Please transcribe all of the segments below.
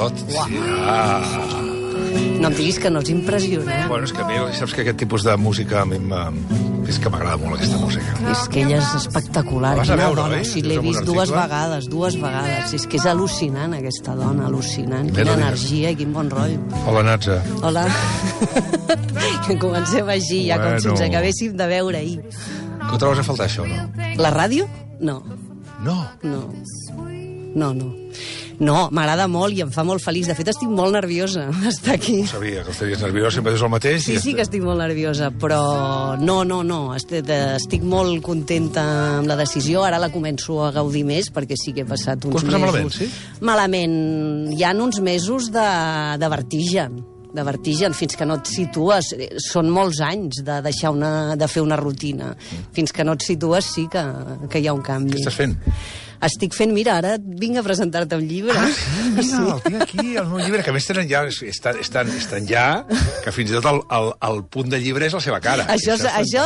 tot. No em diguis que no ets impressionant. Bueno, és que a mi, saps que aquest tipus de música a mi és que m'agrada molt aquesta música. És que ella és espectacular. La vas a veure, oi? Sí, l'he vist dues vegades. És que és al·lucinant, aquesta dona, al·lucinant. Quina energia i quin bon rotllo. Hola, Natza. Hola. Que comencem així, ja com si ens acabéssim de veure ahir. Que ho trobes a faltar, això, no? La ràdio? No. No? No, m'agrada molt i em fa molt feliç. De fet, estic molt nerviosa d'estar aquí. No sabia que estaries nerviosa, sempre dius el mateix. Sí que estic molt nerviosa, però no. Estic molt contenta amb la decisió. Ara la començo a gaudir més, perquè sí que he passat uns mesos... Ho has passat malament, sí? Malament. Hi ha uns mesos de vertigen. De vertigen, fins que no et situes. Són molts anys de deixar de fer una rutina. Fins que no et situes sí que hi ha un canvi. Què estàs fent? Estic fent, mira, ara vinc a presentar-te un llibre. Mira, el tinc aquí, el meu llibre, que a més tenen ja, estan ja, que fins i tot el punt de llibre és la seva cara. Això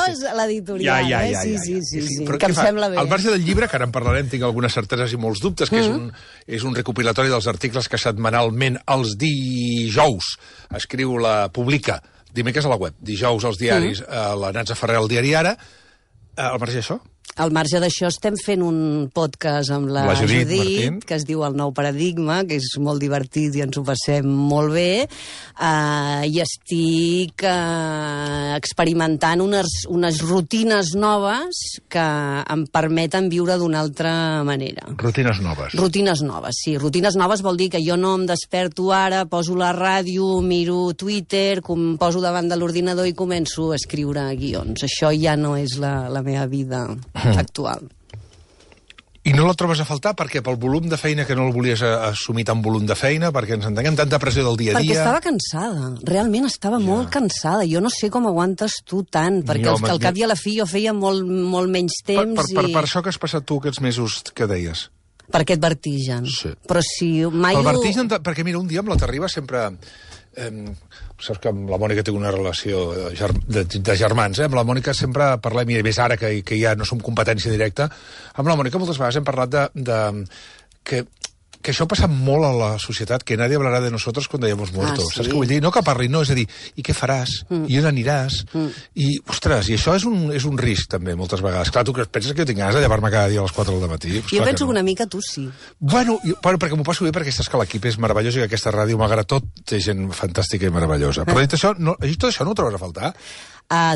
és l'editorial, Sí. Però que em sembla bé. Al marge del llibre, que ara en parlarem, tinc algunes certeses i molts dubtes, que és un recopilatori dels articles que setmanalment els dijous publica, dimecres a la web, dijous als diaris, la Natza Ferrer al diari Ara. Al marge d'això? Al marge d'això estem fent un podcast amb la Judit, que es diu El nou paradigma, que és molt divertit i ens ho passem molt bé, i estic experimentant unes rutines noves que em permeten viure d'una altra manera. Rutines noves? Rutines noves, sí. Rutines noves vol dir que jo no em desperto ara, poso la ràdio, miro Twitter, em poso davant de l'ordinador i començo a escriure guions. Això ja no és la meva vida actual. I no la trobes a faltar? Perquè pel volum de feina que no el volies assumir tant volum de feina, perquè ens entenguem tanta pressió del dia a dia... Perquè estava cansada, realment estava molt cansada. Jo no sé com aguantes tu tant, perquè al cap i a la fi jo feia molt menys temps per això que has passat tu aquests mesos que deies? Per aquest vertigen. Sí. Però si mai... El vertigen, perquè mira, un dia amb la Terriba sempre... saps que amb la Mònica tinc una relació de germans, amb la Mònica sempre parlem, i més ara que ja no som competència directa, amb la Mònica moltes vegades hem parlat que això ha passat molt a la societat, que nadie hablará de nosotros cuando hayamos muerto. Sí? Saps què vull dir? No que parli, no, és a dir, i què faràs? I on aniràs? I, ostres, i això és un risc, també, moltes vegades. Clar, tu que penses que jo tinc ganes de llevar-me cada dia a les 4 del matí? Jo penso que una mica tu sí. Bueno, perquè m'ho passo bé, perquè saps que l'equip és meravellós i que aquesta ràdio, malgrat tot, té gent fantàstica i meravellosa. Però dit això, tot això no ho trobes a faltar?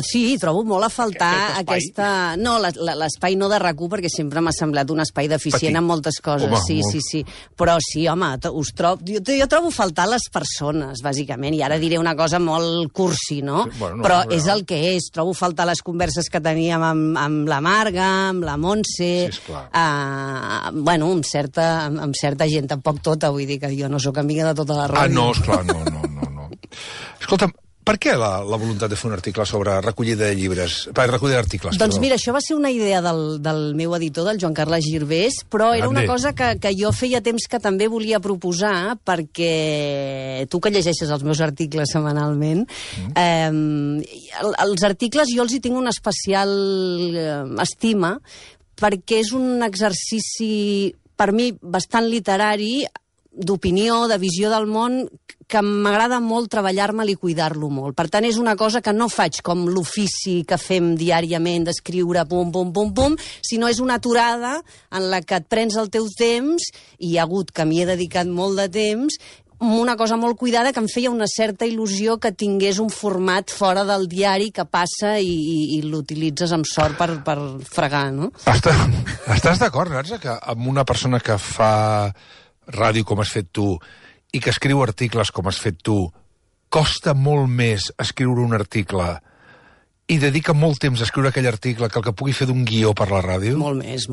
Sí, trobo molt a faltar aquesta... No, l'espai no de RAC1, perquè sempre m'ha semblat un espai deficient en moltes coses. Home, sí. Però sí, home, jo trobo a faltar les persones, bàsicament, i ara diré una cosa molt cursi, no? Sí, bueno, però és el que és. Trobo a faltar les converses que teníem amb la Marga, amb la Montse... Sí, esclar. Bueno, amb certa gent, tampoc tota, vull dir que jo no sóc amiga de tota la ràdio. No, esclar, no. Escolta'm, per què la voluntat de fer un article sobre recollida de llibres? Recollida d'articles, doncs mira, això va ser una idea del meu editor, del Joan Carles Girbés, però era una cosa que jo feia temps que també volia proposar, perquè tu que llegeixes els meus articles setmanalment, els articles jo els hi tinc una especial estima, perquè és un exercici, per mi, bastant literari, d'opinió, de visió del món, que m'agrada molt treballar-me'l i cuidar-lo molt. Per tant, és una cosa que no faig com l'ofici que fem diàriament d'escriure pum, sinó és una aturada en la que et prens el teu temps, i hi ha hagut que m'hi he dedicat molt de temps, una cosa molt cuidada que em feia una certa il·lusió que tingués un format fora del diari que passa i l'utilitzes amb sort per fregar, no? Estàs d'acord, Natza, que amb una persona que fa ràdio com has fet tu i que escriu articles com has fet tu, costa molt més escriure un article i dedica molt temps a escriure aquell article que el que pugui fer d'un guió per la ràdio? Molt més,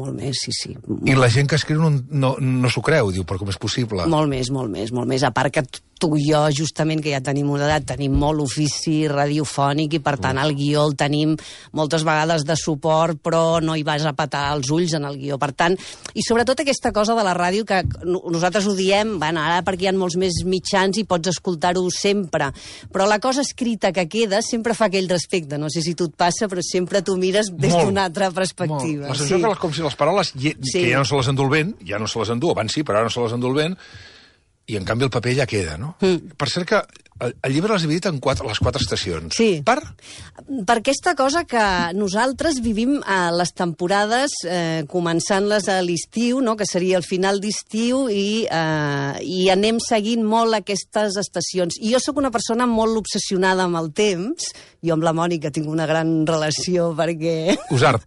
sí. I la gent que escriu no s'ho creu, diu, però com és possible? Molt més. A part que tu i jo, justament, que ja tenim una edat, tenim molt ofici radiofònic i, per tant, el guió el tenim moltes vegades de suport, però no hi vas a petar els ulls en el guió. Per tant, i sobretot aquesta cosa de la ràdio, que nosaltres ho diem, bueno, ara perquè hi ha molts més mitjans i pots escoltar-ho sempre, però la cosa escrita que queda sempre fa aquell respecte. No sé si tu et passa, però sempre tu mires des d'una altra perspectiva. La sensació que com si les paraules, que ja no se les endú el vent, ja no se les endú, abans sí, però ara no se les endú el vent, i en canvi el paper ja queda, no? Per cert que el llibre l'has dividit en les 4 estacions. Sí. Per aquesta cosa que nosaltres vivim a les temporades, començant-les a l'estiu, no? Que seria el final d'estiu, i anem seguint molt aquestes estacions. I jo sóc una persona molt obsessionada amb el temps. Jo amb la Mònica tinc una gran relació perquè... Usar,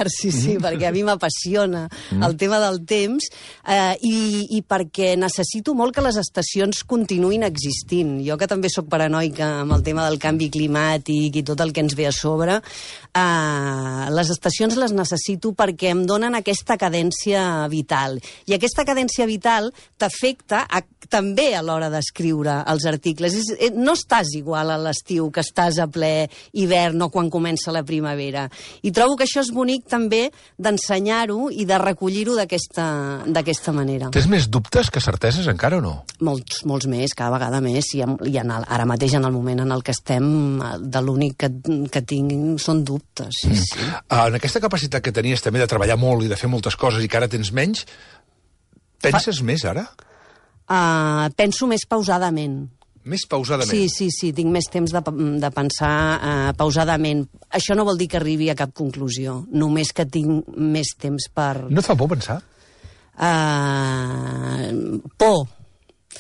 sí, perquè a mi m'apassiona el tema del temps, i perquè necessito molt que les estacions continuïn existint. Jo, que també sóc paranoica amb el tema del canvi climàtic i tot el que ens ve a sobre, les estacions les necessito perquè em donen aquesta cadència vital. I aquesta cadència vital t'afecta també a l'hora d'escriure els articles. No estàs igual a l'estiu que estàs a ple hivern o quan comença la primavera. I trobo que això és bonic també d'ensenyar-ho i de recollir-ho d'aquesta manera. Tens més dubtes que certeses encara o no? Molts més, cada vegada més. I ara mateix, en el moment en el que estem, de l'únic que tinc són dubtes. Sí. En aquesta capacitat que tenies també de treballar molt i de fer moltes coses i que ara tens menys, penses més ara? Penso més pausadament. Més pausadament? Sí, tinc més temps de pensar pausadament. Això no vol dir que arribi a cap conclusió, només que tinc més temps per... No et fa por pensar? Por.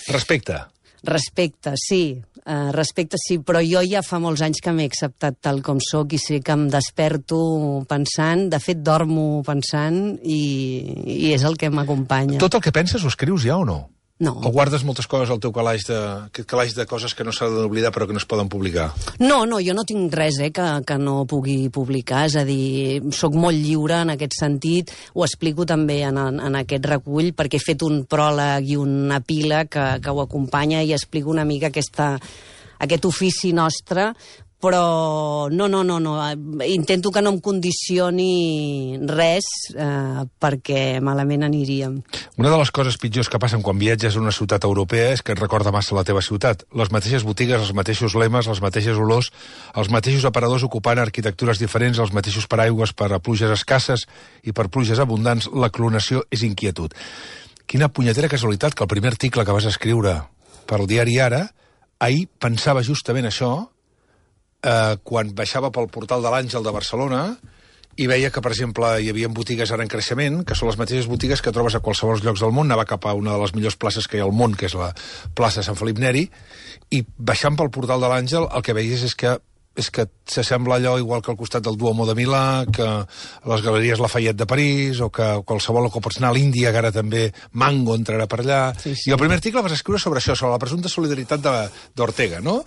Respecte, sí. Respecte, sí, però jo ja fa molts anys que m'he acceptat tal com sóc i sé que em desperto pensant, de fet dormo pensant, i és el que m'acompanya. Tot el que penses ho escrius ja o no? No. O guardes moltes coses al teu calaix de coses que no s'ha d'oblidar però que no es poden publicar? No, jo no tinc res que no pugui publicar, és a dir, sóc molt lliure en aquest sentit, ho explico també en aquest recull, perquè he fet un pròleg i una pila que ho acompanya i explico una mica aquest ofici nostre, però no, intento que no em condicioni res, perquè malament aniríem. Una de les coses pitjors que passen quan viatges a una ciutat europea és que et recorda massa la teva ciutat. Les mateixes botigues, els mateixos lemes, les mateixes olors, els mateixos aparadors ocupant arquitectures diferents, els mateixos paraigües per a pluges escasses i per pluges abundants, la clonació és inquietud. Quina punyetera casualitat que el primer article que vas escriure per al diari Ara, ahir pensava justament això, quan baixava pel portal de l'Àngel de Barcelona i veia que, per exemple, hi havia botigues ara en creixement, que són les mateixes botigues que trobes a qualsevol llocs del món. Anava cap a una de les millors places que hi ha al món, que és la plaça Sant Felip Neri, i baixant pel portal de l'Àngel el que veies és que s'assembla allò igual que al costat del Duomo de Milà, que les galeries Lafayette de París, o que qualsevol que pots anar a l'Índia, que ara també Mango entrarà per allà. Sí. I el primer article vas escriure sobre això, sobre la presumpta solidaritat d'Ortega, no?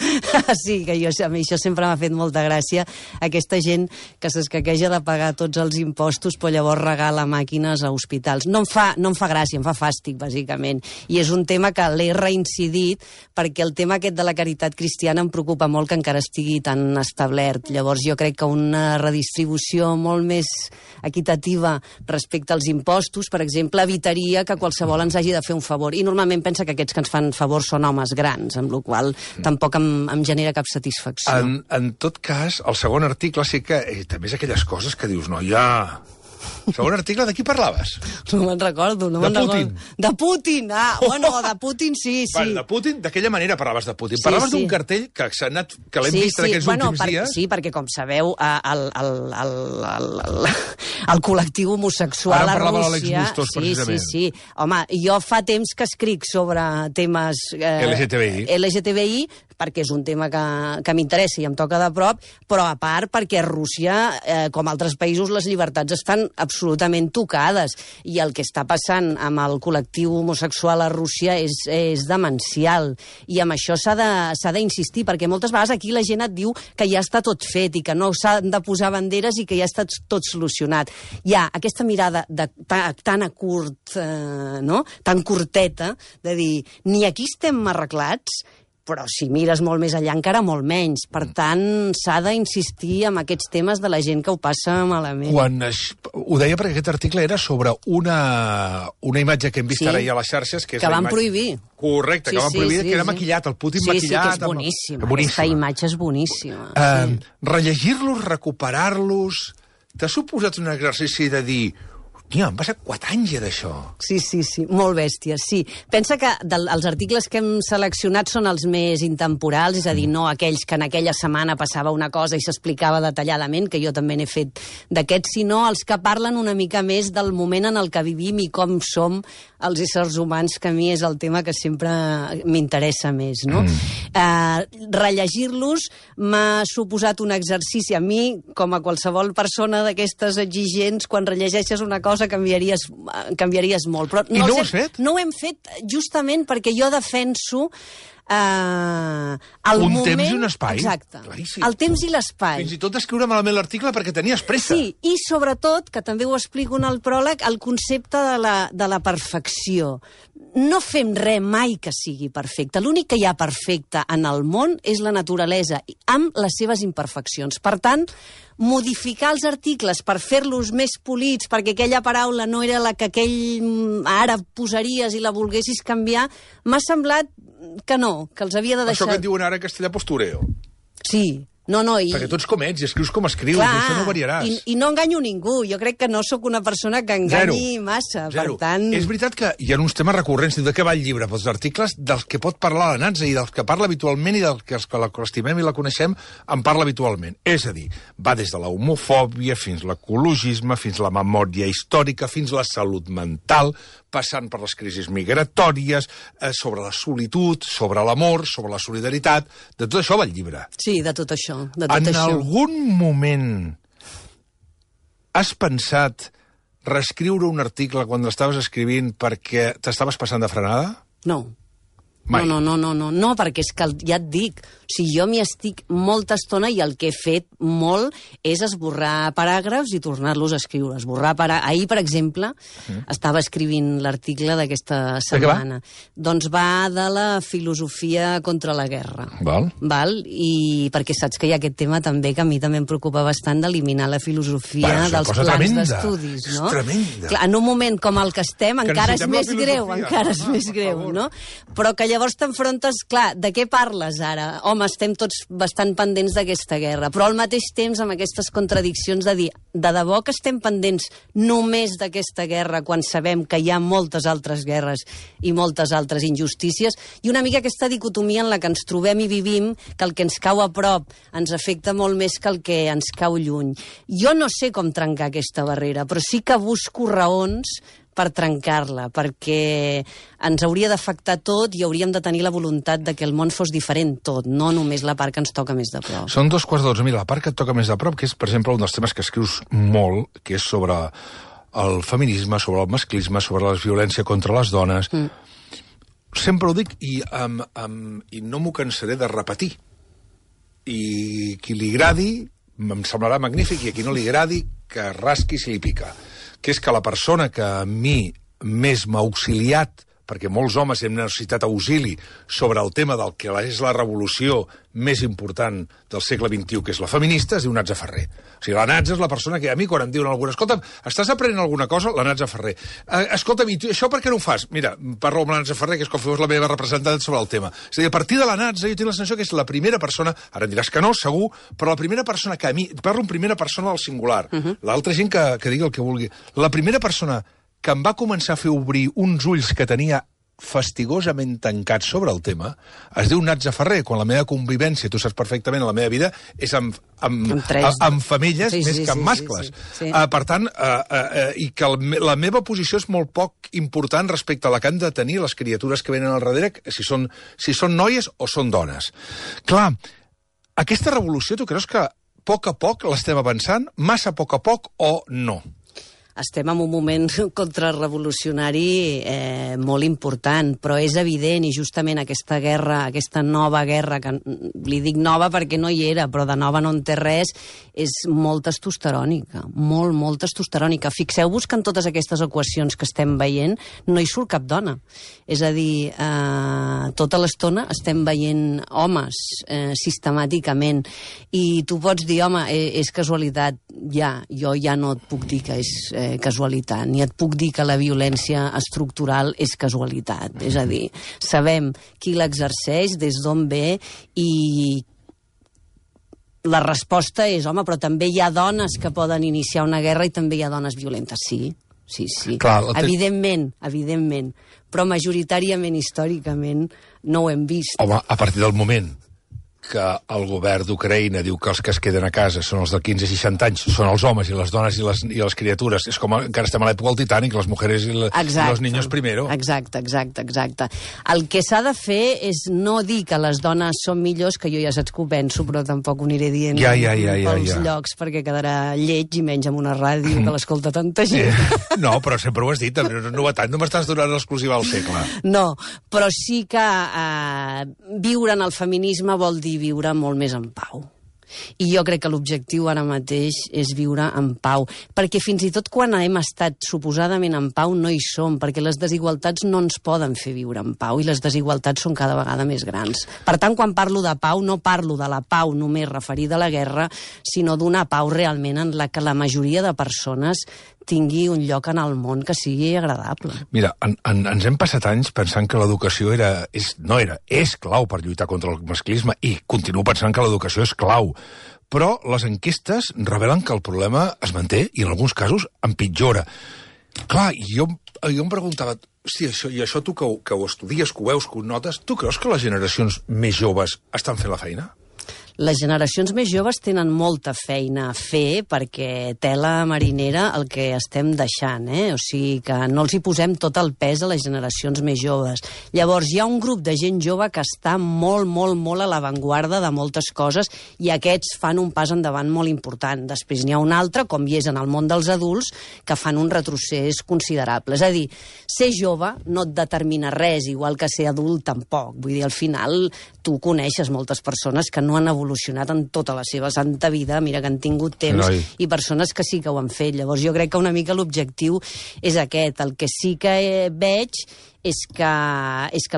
Sí, que a mi això sempre m'ha fet molta gràcia, aquesta gent que s'escaqueja de pagar tots els impostos però llavors regala màquines a hospitals. No em fa gràcia, em fa fàstic, bàsicament. I és un tema que l'he reincidit perquè el tema aquest de la caritat cristiana em preocupa molt que encara estigui tan establert. Llavors jo crec que una redistribució molt més equitativa respecte als impostos, per exemple, evitaria que qualsevol ens hagi de fer un favor. I normalment pensa que aquests que ens fan favors són homes grans, amb la qual cosa tampoc em genera cap satisfacció. En tot cas, el segon article sí que també és aquelles coses que dius, no, ja... Segon article, de qui parlaves? No me'n recordo. De Putin. De Putin, de Putin sí. Bueno, de Putin, d'aquella manera parlaves de Putin. Parlaves d'un cartell que l'hem vist en aquests últims dies. Sí, perquè, com sabeu, el col·lectiu homosexual a Rússia... Ara parlava l'Àlex Bustos, precisament. Sí. Home, jo fa temps que escric sobre temes... LGTBI, perquè és un tema que m'interessa i em toca de prop, però a part perquè a Rússia, com altres països, les llibertats estan absolutament tocades, i el que està passant amb el col·lectiu homosexual a Rússia és demencial, i amb això s'ha d'insistir, perquè moltes vegades aquí la gent et diu que ja està tot fet i que no s'han de posar banderes i que ja està tot solucionat. Hi ha aquesta mirada tan a curt, tan curteta, de dir, ni aquí estem arreglats, però si mires molt més enllà encara molt menys. Per tant, s'ha d'insistir en aquests temes de la gent que ho passa malament. Ho deia perquè aquest article era sobre una imatge que hem vist ara ja a les xarxes, que van prohibir. Correcte, que van prohibir, que era maquillat, el Putin maquillat. Sí, que és boníssima. Aquesta imatge és boníssima. Rellegir-los, recuperar-los... T'ha suposat un exercici de dir... Tia, han passat 4 anys ja d'això. Sí, molt bèsties, sí. Pensa que els articles que hem seleccionat són els més intemporals, és a dir, no aquells que en aquella setmana passava una cosa i s'explicava detalladament, que jo també n'he fet d'aquests, sinó els que parlen una mica més del moment en el que vivim i com som els éssers humans, que a mi és el tema que sempre m'interessa més, no? Rellegir-los m'ha suposat un exercici. A mi, com a qualsevol persona d'aquestes exigents, quan rellegeixes una cosa canviaries molt. Però I no ho has fet? No ho hem fet justament perquè jo defenso un moment... temps i un espai. Exacte. Claríssim. El temps i l'espai. Fins i tot escriure malament l'article perquè tenies pressa. Sí, i sobretot, que també ho explico en el pròleg, el concepte de la perfecció. No fem res mai que sigui perfecte. L'únic que hi ha perfecte en el món és la naturalesa, amb les seves imperfeccions. Per tant, modificar els articles per fer-los més polits, perquè aquella paraula no era la que aquell ara posaries i la volguessis canviar, m'ha semblat que no, que els havia de deixar... Això que et diuen ara en castellà postureo. Sí. No, i... Perquè tu ets com ets i escrius com escrius, clar, i això no variaràs. I no enganyo ningú. Jo crec que no sóc una persona que enganyi massa. Zero. Per tant... És veritat que hi ha uns temes recurrents. De què va el llibre? Els articles dels que pot parlar la Natza i dels que parla habitualment i dels que l'estimem i la coneixem en parla habitualment. És a dir, va des de la homofòbia fins l'ecologisme, fins la memòria històrica, fins la salut mental, passant per les crisis migratòries, sobre la solitud, sobre l'amor, sobre la solidaritat. De tot això va el llibre. Sí, de tot això. En algun moment has pensat reescriure un article quan l'estaves escrivint perquè t'estaves passant de frenada? No. Mai. No, perquè és que ja et dic, o sigui, jo m'hi estic molta estona i el que he fet molt és esborrar paràgrafs i tornar-los a escriure. Ahir, per exemple, estava escrivint l'article d'aquesta setmana. Doncs va de la filosofia contra la guerra. Val? I perquè saps que hi ha aquest tema també que a mi també em preocupa bastant d'eliminar la filosofia dels plans d'estudis, no? És tremenda. Clar, en un moment com el que estem, encara és més greu, no? Però que llavors t'enfrontes, clar, de què parles ara? Home, estem tots bastant pendents d'aquesta guerra, però al mateix temps amb aquestes contradiccions de dir, de debò que estem pendents només d'aquesta guerra quan sabem que hi ha moltes altres guerres i moltes altres injustícies, i una mica aquesta dicotomia en la que ens trobem i vivim, que el que ens cau a prop ens afecta molt més que el que ens cau lluny. Jo no sé com trencar aquesta barrera, però sí que busco raons per trencar-la, perquè ens hauria d'afectar tot i hauríem de tenir la voluntat de que el món fos diferent tot, no només la part que ens toca més de prop. Són 2:15. Mira, la part que et toca més de prop, que és, per exemple, un dels temes que escrius molt, que és sobre el feminisme, sobre el masclisme, sobre la violència contra les dones. Sempre ho dic i no m'ho cansaré de repetir. I qui li agradi, em semblarà magnífic, i a qui no li agradi, que rasqui si li pica. Que és que la persona que a mi més m'ha auxiliat, perquè molts homes hem necessitat auxili sobre el tema del que és la revolució més important del segle XXI, que és la feminista, es diu Natza Ferrer. O sigui, la Natza és la persona que a mi, quan em diuen alguna cosa, escolta'm, estàs aprenent alguna cosa? La Natza Ferrer. Escolta'm, i tu, això per què no ho fas? Mira, parlo amb la Natza Ferrer, que és com fos la meva representant sobre el tema. És a dir, a partir de la Natza, jo tinc la sensació que és la primera persona, ara em diràs que no, segur, però la primera persona que a mi, parlo en primera persona del singular, l'altra gent que digui el que vulgui, la primera persona que em va començar a fer obrir uns ulls que tenia fastigosament tancats sobre el tema, es diu Natza Ferrer, quan la meva convivència, tu saps perfectament, la meva vida és amb femelles més que amb mascles. Sí. Per tant, i que la meva posició és molt poc important respecte a la que han de tenir les criatures que venen al darrere, si són noies o són dones. Clar, aquesta revolució, tu creus que a poc l'estem avançant? Massa a poc o no? Estem en un moment contrarrevolucionari molt important, però és evident, i justament aquesta guerra, aquesta nova guerra, que li dic nova perquè no hi era, però de nova no en té res, és molt testosterònica, molt testosterònica. Fixeu-vos que en totes aquestes equacions que estem veient no hi surt cap dona. És a dir, tota l'estona estem veient homes sistemàticament, i tu pots dir, home, és casualitat. Jo ja no et puc dir que és casualitat, ni et puc dir que la violència estructural és casualitat. És a dir, sabem qui l'exerceix, des d'on ve, i la resposta és, home, però també hi ha dones que poden iniciar una guerra i també hi ha dones violentes. Sí, Clar, evidentment, però majoritàriament, històricament, no ho hem vist. Home, a partir del moment que el govern d'Ucraïna diu que els que es queden a casa són els de 15 a 60 anys, són els homes i les dones i les criatures. És com encara estem a l'època del Titanic, les mujeres i los niños primero. Exacte. El que s'ha de fer és no dir que les dones són millors, que jo ja saps que ho penso, però tampoc ho aniré dient pels llocs, perquè quedarà lleig i menys amb una ràdio que l'escolta tanta gent. No, però sempre ho has dit, no és novetat, no m'estàs donant l'exclusiva al segle. No, però sí que viure en el feminisme vol dir viure molt més en pau. I jo crec que l'objectiu ara mateix és viure en pau, perquè fins i tot quan hem estat suposadament en pau no hi som, perquè les desigualtats no ens poden fer viure en pau i les desigualtats són cada vegada més grans. Per tant, quan parlo de pau, no parlo de la pau només referida a la guerra, sinó d'una pau realment en la que la majoria de persones tingui un lloc en el món que sigui agradable. Mira, ens hem passat anys pensant que l'educació és clau per lluitar contra el masclisme i continuo pensant que l'educació és clau. Però les enquestes revelen que el problema es manté i en alguns casos empitjora. Clar, jo em preguntava, hosti, això tu que ho estudies, que ho veus, que ho notes, tu creus que les generacions més joves estan fent la feina? Les generacions més joves tenen molta feina a fer perquè tela marinera el que estem deixant, O sigui que no els hi posem tot el pes a les generacions més joves. Llavors hi ha un grup de gent jove que està molt a l'avantguarda de moltes coses i aquests fan un pas endavant molt important. Després n'hi ha un altre, com hi és en el món dels adults, que fan un retrocés considerable. És a dir, ser jove no et determina res, igual que ser adult tampoc. Vull dir, al final tu coneixes moltes persones que no han evolucionat en tota la seva santa vida, mira que han tingut temps, i persones que sí que ho han fet. Llavors jo crec que una mica l'objectiu és aquest. El que sí que veig és que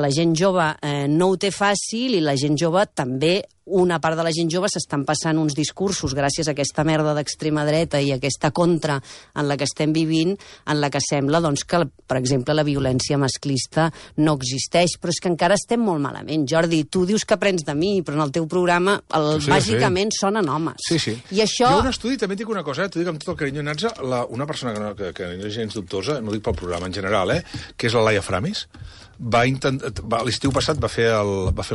la gent jove no ho té fàcil i la gent jove també, una part de la gent jove s'estan passant uns discursos gràcies a aquesta merda d'extrema dreta i aquesta contra en la que estem vivint, en la que sembla doncs, que, per exemple, la violència masclista no existeix, però és que encara estem molt malament. Jordi, tu dius que aprens de mi, però en el teu programa bàsicament sonen homes. Sí. I això... Jo un estudi, també et dic una cosa, t'ho dic amb tot el carinyo, Natza, una persona que no és gens dubtosa, no dic pel programa en general, que és la Laia Framis, l'estiu passat va fer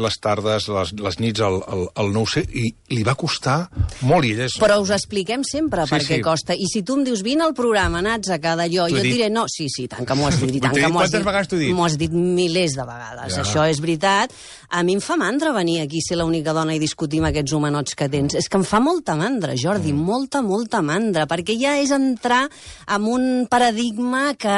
les tardes, les nits al 9C i li va costar molt i ella és... Però us expliquem sempre per què costa. I si tu em dius, vine al programa, Natza, que d'allò, jo et diré, no, sí, tant que m'ho has dit. Quantes vegades t'ho he dit? M'ho has dit milers de vegades, això és veritat. A mi em fa mandra venir aquí, ser l'única dona i discutir amb aquests homenots que tens. És que em fa molta mandra, Jordi, molta mandra, perquè ja és entrar en un paradigma que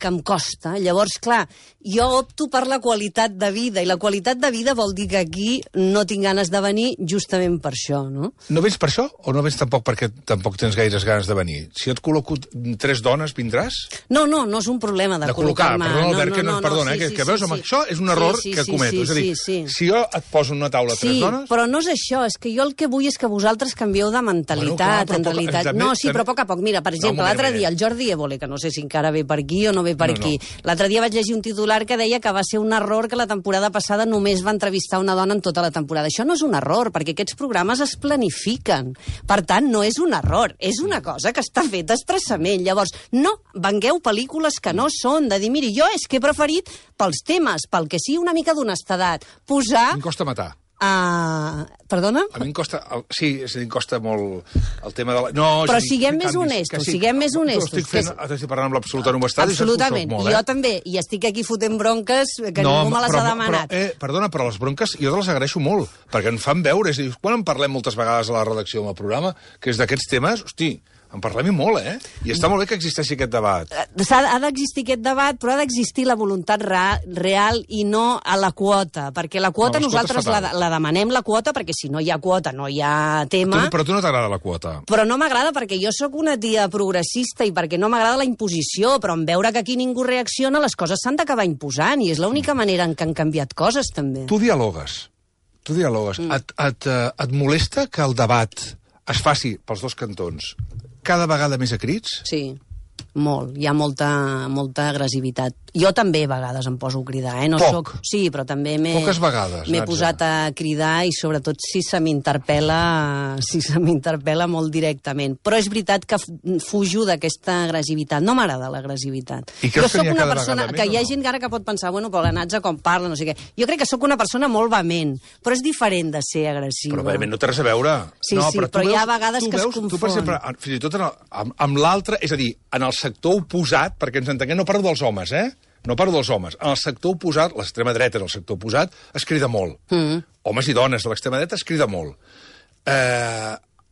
em costa. Llavors, clar, jo opto per la qualitat de vida, i la qualitat de vida vol dir que aquí no tinc ganes de venir justament per això, no? No vens per això o no vens tampoc perquè tampoc tens gaires ganes de venir? Si et col·loco 3 dones, vindràs? No és un problema de col·locar-me. Perdona, Albert, perdona, que veus, això és un error que cometo. És a dir, si jo et poso en una taula 3 dones... Sí, però no és això, és que jo el que vull és que vosaltres canvieu de mentalitat, en realitat. No, sí, però a poc a poc. Mira, per exemple, l'altre dia el Jordi Évole, que no sé si encara ve per aquí o no ve per aquí. L'altre dia vaig llegir un titular que deia que va ser un error que la temporada passada només va entrevistar una dona en tota la temporada. Això no és un error, perquè aquests programes es planifiquen. Per tant, no és un error, és una cosa que està feta expressament. Llavors, no vengueu pel·lícules que no són, de dir, miri, jo és que he preferit pels temes, pel que sigui una mica d'honestedat, posar... Em costa matar. Perdona? A mi em costa... Sí, és a dir, em costa molt el tema de la... No, però siguem més honestos, siguem més honestos. Estic parlant amb l'absoluta honestedat. Absolutament, i jo també. I estic aquí fotent bronques que ningú me les ha demanat. Perdona, però les bronques jo te les agraeixo molt, perquè en fan veure. És a dir, quan en parlem moltes vegades a la redacció del programa, que és d'aquests temes, hosti, en parlem molt, I està molt bé que existeixi aquest debat. Ha d'existir aquest debat, però ha d'existir la voluntat real i no a la quota, perquè la quota nosaltres la demanem, la quota, perquè si no hi ha quota no hi ha tema. Però a tu no t'agrada la quota. Però no m'agrada perquè jo sóc una tia progressista i perquè no m'agrada la imposició, però en veure que aquí ningú reacciona, les coses s'han d'acabar imposant, i és l'única manera en què han canviat coses, també. Tu dialogues. Et molesta que el debat es faci pels dos cantons cada vegada més a crits? Sí. molt. Hi ha molta agressivitat. Jo també a vegades em poso a cridar, No Poc? Sí, però també Poques vegades, m'he Natza. posat a cridar i sobretot si se m'interpel·la molt directament. Però és veritat que fujo d'aquesta agressivitat. No m'agrada l'agressivitat. I creus que n'hi ha una cada persona vegada que més, hi ha o no? gent ara que pot pensar, bueno, però la Natza com parla, no sé què. Jo crec que sóc una persona molt vehement, però és diferent de ser agressiva. Però òbviament no té res a veure. Sí, no, sí, però hi ha vegades que es Tu, per confon. exemple, fins i tot amb l'altre, és a dir, en el sector oposat, perquè ens entenguem, no parlo dels homes, No parlo dels homes. En el sector oposat, l'extrema dreta en el sector oposat, es crida molt. Homes i dones de l'extrema dreta es crida molt.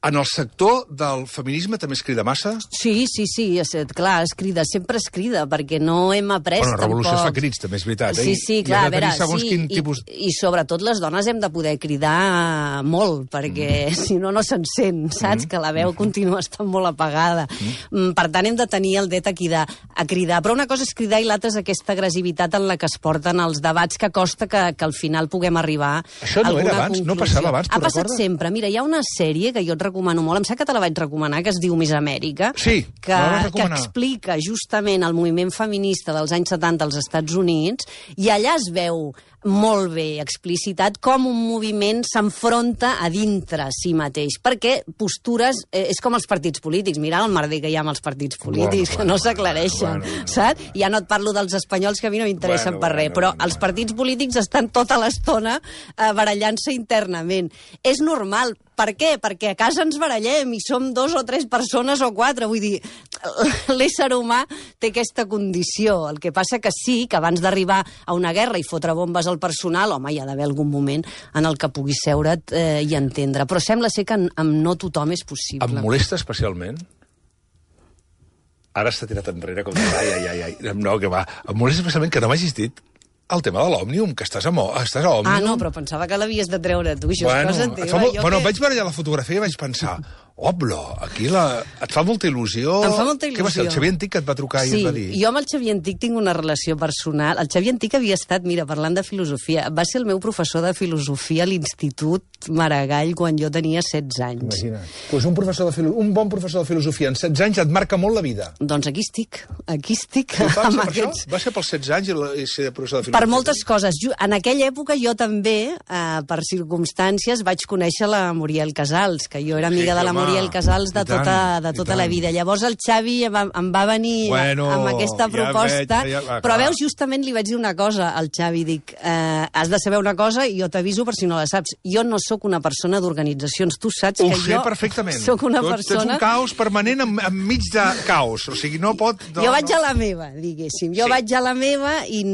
En el sector del feminisme també es crida massa? Sí, clar, sempre es crida, perquè no hem après Bueno, la revolució tampoc. es fa crits, també és veritat. Sí, clar, a veure, I i sobretot les dones hem de poder cridar molt, perquè si no, no se'n sent, saps? Que la veu continua estant molt apagada. Per tant, hem de tenir el dret a cridar. Però una cosa és cridar i l'altra és aquesta agressivitat en la que es porten els debats que costa que al final puguem arribar a Això no alguna era abans? conclusió. No passava abans, tu Ha passat recordes? sempre. Mira, hi ha una sèrie que jo et recomano molt, em sap que te la vaig recomanar, que es diu Miss Amèrica, Sí, que me la vas recomanar. explica justament el moviment feminista dels anys 70 als Estats Units, i allà es veu molt bé explicitat com un moviment s'enfronta a dintre si mateix, perquè postures és com els partits polítics. Mira el merder que hi ha amb els partits polítics, que no s'aclareixen, saps? Ja no et parlo dels espanyols, que a mi no m'interessen per res, però els partits polítics estan tota l'estona barallant-se internament. És normal. Per què? Perquè a casa ens barallem i som 2 o 3 persones o 4. Vull dir, l'ésser humà té aquesta condició. El que passa que sí, que abans d'arribar a una guerra i fotre bombes al personal, home, hi ha d'haver algun moment en el que puguis seure't i entendre. Però sembla ser que amb no tothom és possible. Em molesta especialment... Ara s'ha tirat enrere com de... Ai. No, que va. Em molesta especialment que no m'hagis dit el tema de l'Òmnium, que estàs a Òmnium. Ah, no, però pensava que l'havies de treure tu, això és cosa teva. Bueno, vaig veure ja la fotografia i vaig pensar, aquí et fa molta il·lusió... Em fa molta il·lusió. Què va ser, el Xavier Antic que et va trucar i et va dir? Sí, jo amb el Xavier Antic tinc una relació personal. El Xavier Antic havia estat, mira, parlant de filosofia, va ser el meu professor de filosofia a l'Institut Maragall quan jo tenia 16 anys. Imagina't. Pues un bon professor de filosofia en 16 anys et marca molt la vida. Doncs aquí estic. Amb aquests... Va ser pels 16 anys i ser professor de filosofia? Per moltes coses. En aquella època jo també, per circumstàncies, vaig conèixer la Muriel Casals, que jo era amiga de la Muriel Casals de tota la vida. Llavors el Xavi em va venir amb aquesta proposta, però veus, justament li vaig dir una cosa al Xavi, dic, has de saber una cosa i jo t'aviso per si no la saps. Jo no sóc una persona d'organitzacions, tu saps que jo perfectament. Sóc una persona... Tens un caos permanent enmig de caos, o sigui, no pot... Jo vaig a la meva, diguéssim. Jo vaig a la meva i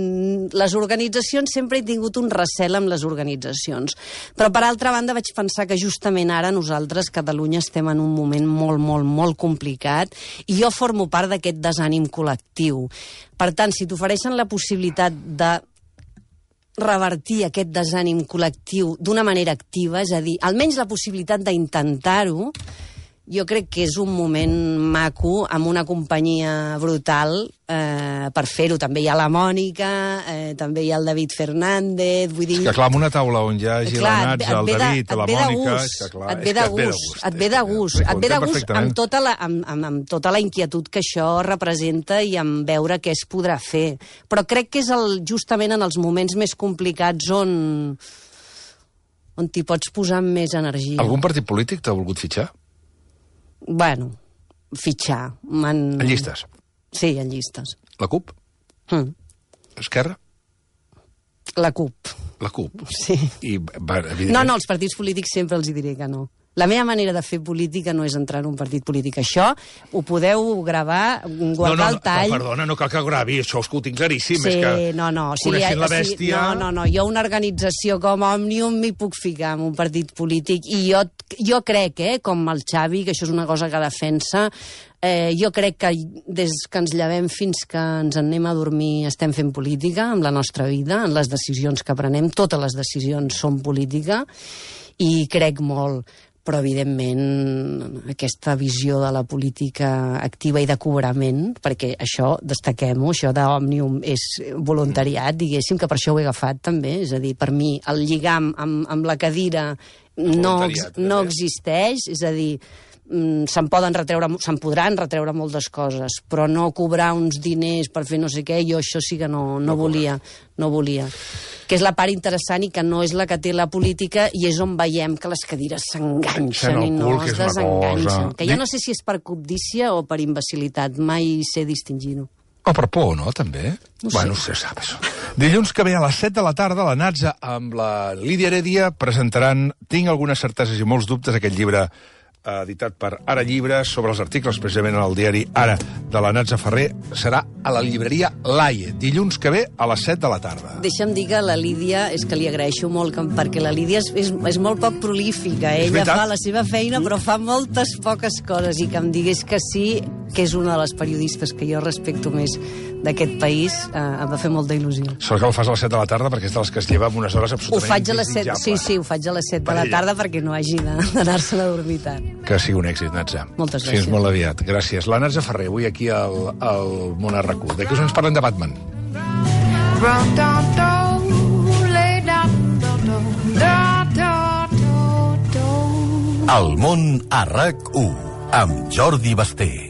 les organitzacions sempre he tingut un recel amb les organitzacions. Però, per altra banda, vaig pensar que justament ara nosaltres, Catalunya, estem en un moment molt complicat i jo formo part d'aquest desànim col·lectiu. Per tant, si t'ofereixen la possibilitat de revertir aquest desànim col·lectiu d'una manera activa, és a dir, almenys la possibilitat d'intentar-ho, jo crec que és un moment maco, amb una companyia brutal per fer-ho. També hi ha la Mònica, també hi ha el David Fernández, vull dir... És que clar, amb una taula on hi hagi la Natza, el David, la Mònica... Et ve de gust, et ve de gust amb tota la inquietud que això representa i amb veure què es podrà fer. Però crec que és justament en els moments més complicats on t'hi pots posar amb més energia. Algun partit polític t'ha volgut fitxar? Bueno, fitxar. En llistes? Sí, en llistes. La CUP? Esquerra? La CUP. La CUP? Sí. No, els partits polítics sempre els hi diré que no. La meva manera de fer política no és entrar en un partit polític. Això ho podeu gravar, guardar el tall... No, perdona, no cal que ho gravi, això és que ho tinc claríssim. Sí, és que coneixent la bèstia... No, jo una organització com Òmnium m'hi puc ficar en un partit polític i jo crec, com el Xavi, que això és una cosa que defensa, jo crec que des que ens llevem fins que ens anem a dormir estem fent política amb la nostra vida, en les decisions que prenem, totes les decisions són política, i crec molt. Però, evidentment, aquesta visió de la política activa i de cobrament, perquè això, destaquem-ho, això d'Òmnium és voluntariat, diguéssim, que per això ho he agafat també, és a dir, per mi el lligam amb la cadira no existeix, és a dir, se'n podran retreure moltes coses, però no cobrar uns diners per fer no sé què, jo això sí que no volia. Que és la part interessant i que no és la que té la política, i és on veiem que les cadires s'enganxen i no es desenganxen. Que jo no sé si és per cobdícia o per imbecilitat, mai sé distingir-ho. O per por, no, també? No sé. Bueno, se sap, això. Dilluns que ve a les 7 de la tarda, la Natza amb la Lídia Heredia presentaran Tinc algunes certeses i molts dubtes, aquest llibre editat per Ara Llibres, sobre els articles precisament al diari Ara de la Natza Ferrer. Serà a la llibreria Laie, dilluns que ve a les 7 de la tarda. Deixa'm dir que la Lídia, és que li agraeixo molt, perquè la Lídia és molt poc prolífica. Ella fa la seva feina, però fa moltes poques coses, i que em digués que sí, que és una de les periodistes que jo respecto més d'aquest país, em va fer molta il·lusió. Sort que ho fas a les 7 de la tarda, perquè és de les que es lleva amb unes hores absolutament ho faig a les 7, sí, ho faig a les 7 de la tarda perquè no hagi d'anar-se'n a dormir tard. Que sigui un èxit, Natza. Moltes gràcies. Fins molt aviat. Gràcies. La Natza Ferrer, avui aquí al Món a RAC1. D'aquí us ens parlem de Batman. El Món a RAC1, amb Jordi Basté.